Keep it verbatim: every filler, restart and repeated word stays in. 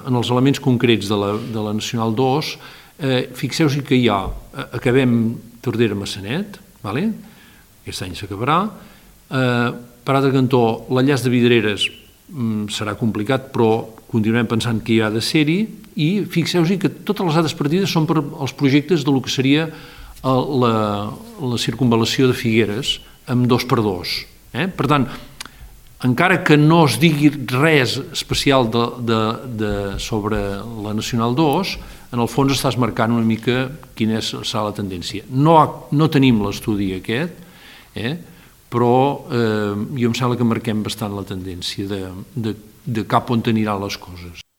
En els elements concrets de la, de la Nacional dos, eh, fixeu-vos que hi ha, acabem Tordera-Massanet, vale? Aquest any s'acabarà, eh, per altre cantó, l'enllaç de Vidreres mm, serà complicat, però continuem pensant que hi ha de ser-hi, i fixeu-vos que totes les altres partides són per als projectes del que seria la, la circunvalació de Figueres amb dos per dos. Eh? Per tant, encara que no es digui res especial de, de, de, sobre la Nacional dos, en el fons estàs marcant una mica quina és, serà la tendència. No, no tenim l'estudi aquest, eh? però eh, jo em sembla que marquem bastant la tendència de, de, de cap on aniran les coses.